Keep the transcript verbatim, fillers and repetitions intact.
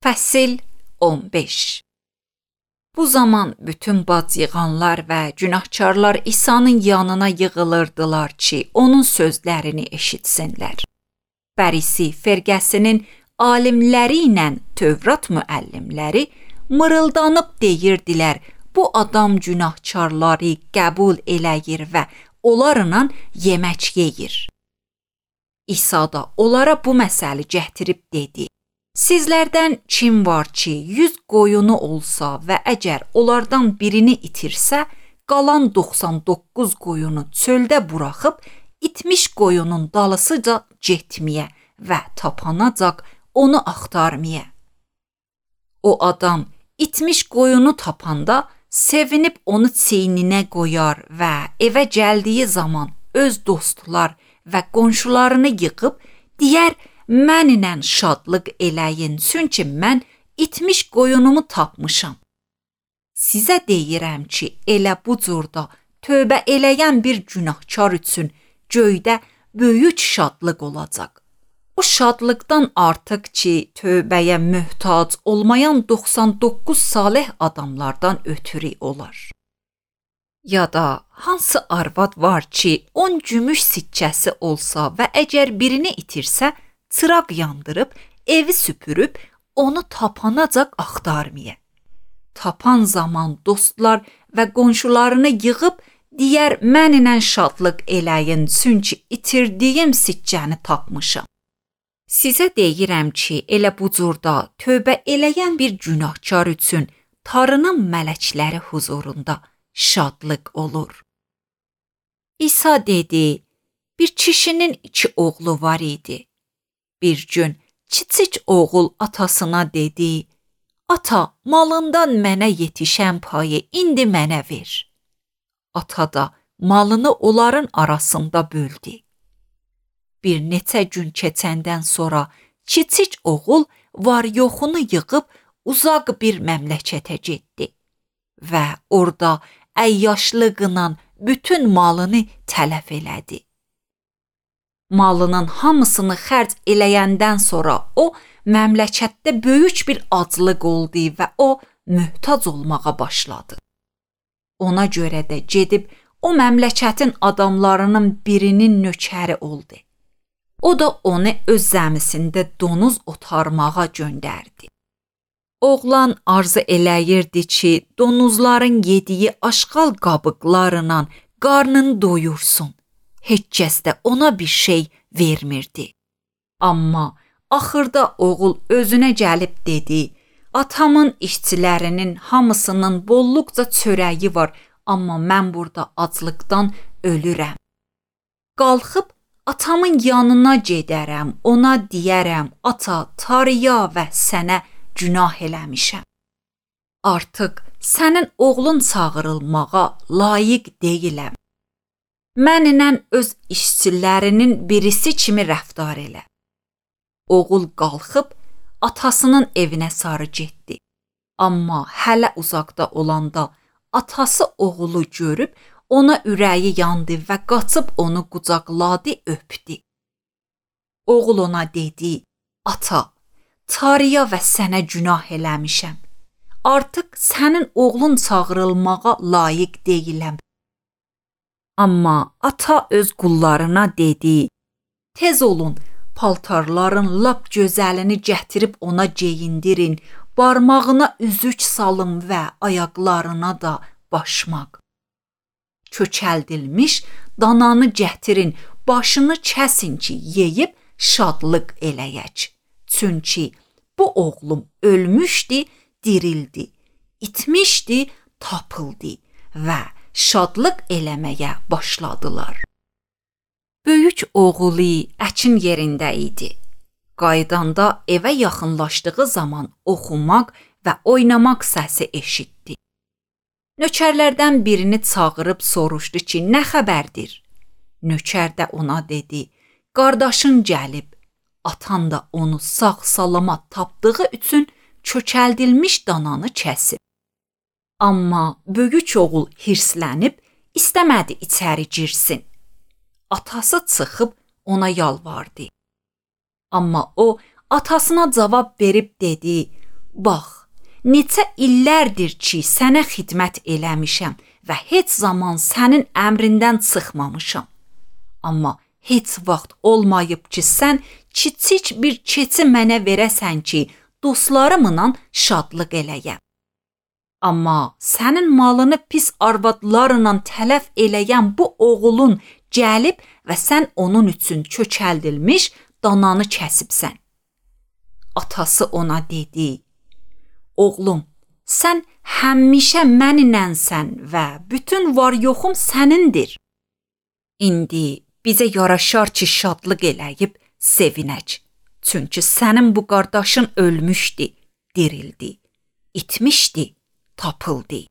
Fəsil on beş. Bu zaman bütün bacıyğanlar və günahkarlar İsa'nın yanına yığılırdılar ki, onun sözlərini eşitsinlər. Fərisi firqəsinin alimləri ilə Tövrat müəllimləri mırıldanıb deyirdilər, bu adam günahkarları qəbul eləyir və onlarla yemək yeyir. İsa da onlara bu məsəli gətirib dedi: Sizlərdən kim var ki, yüz qoyunu olsa və əgər onlardan birini itirsə, qalan doxsan doqquz qoyunu çöldə buraxıb, itmiş qoyunun dalısıca getməyə və tapanacaq onu axtarmaya. O adam itmiş qoyunu tapanda sevinib onu çiyninə qoyar və evə gəldiyi zaman öz dostlar və qonşularını yığıb deyər: Mənlə şadlıq eləyin, çünki mən itmiş qoyunumu tapmışam. Sizə deyirəm ki, elə bu cürdə tövbə eləyən bir günahkar üçün göydə böyük şadlıq olacaq. O şadlıqdan artıq ki, tövbəyə möhtac olmayan doxsan doqquz salih adamlardan ötürü olar. Ya da hansı arvad var ki, on gümüş sikkəsi olsa və əgər birini itirsə, çıraq yandırıb, evi süpürüb, onu tapanacaq axtarmaya. Tapan zaman dostlar və qonşularını yığıb, deyər: Mənlə şadlıq eləyin, çünki itirdiyim sikkəni tapmışam. Sizə deyirəm ki, elə bu cürdə tövbə eləyən bir günahkar üçün Tanrının mələkləri huzurunda şadlıq olur. İsa dedi: Bir kişinin iki oğlu var idi. Bir gün kiçik oğul atasına dedi: Ata, malından mənə yetişən payı indi mənə ver. Ata da malını onların arasında böldü. Bir neçə gün keçəndən sonra kiçik oğul var-yoxunu yığıb uzaq bir məmləkətə getdi və orada əyyaşlıqla bütün malını tələf elədi. Malının hamısını xərc eləyəndən sonra o, məmləkətdə böyük bir aclıq oldu və o, möhtac olmağa başladı. Ona görə də gedib, o məmləkətin adamlarının birinin nökəri oldu. O da onu öz zəmisində donuz otarmağa göndərdi. Oğlan arzu eləyirdi ki, donuzların yediyi aşqal qabıqlarla qarnını doyursun. Heç kəs də ona bir şey vermirdi. Amma axırda oğul özünə gəlib dedi: Atamın işçilərinin hamısının bolluqca çörəyi var, amma mən burada aclıqdan ölürəm. Qalxıb atamın yanına gedərəm, ona deyərəm: Ata, Tanrıya və sənə günah eləmişəm. Artıq sənin oğlun çağırılmağa layiq deyiləm. Mənlə öz işçilərinin birisi kimi rəftar elə. Oğul qalxıb atasının evinə sarı getdi. Amma hələ uzaqda olanda atası oğulu görüb ona ürəyi yandı və qaçıb onu qucaqladı, öpdü. Oğul ona dedi: Ata, Tanrıya və sənə günah eləmişəm. Artıq sənin oğlun çağırılmağa layiq deyiləm. Amma ata öz qullarına dedi: Tez olun, paltarların lap gözəlini gətirib ona geyindirin, barmağına üzük salın və ayaqlarına da başmaq. Köçəldilmiş dananı gətirin, başını kəsin ki, yeyib şadlıq eləyək. Çünki bu oğlum ölmüşdü, dirildi, itmişdi, tapıldı və şadlıq eləməyə başladılar. Böyük oğulu əkin yerində idi. Qaydanda evə yaxınlaşdığı zaman oxumaq və oynamaq səsi eşitdi. Nökərlərdən birini çağırıb soruşdu ki, nə xəbərdir? Nökər də ona dedi: Qardaşın gəlib. Atan da onu sağ-salamat tapdığı üçün köçəldilmiş dananı kəsib. Amma böyük oğul hirslənib istəmədi içəri girsin. Atası çıxıb ona yalvardı. Amma o atasına cavab verib dedi: Bax, neçə illərdir ki, sənə xidmət eləmişəm və heç zaman sənin əmrindən çıxmamışam. Amma heç vaxt olmayıb ki, sən kiçik bir keçi mənə verəsən ki, dostlarımla şadlıq eləyəm. Amma sənin malını pis arvadlarla tələf eləyən bu oğulun gəlib və sən onun üçün köçəldilmiş dananı kəsibsən. Atası ona dedi: Oğlum, sən həmişə məninənsən və bütün var-yoxum sənindir. İndi bizə yaraşar ki, şadlıq eləyib sevinək. Çünki sənin bu qardaşın ölmüşdü, dirildi, itmişdi, tapıldı.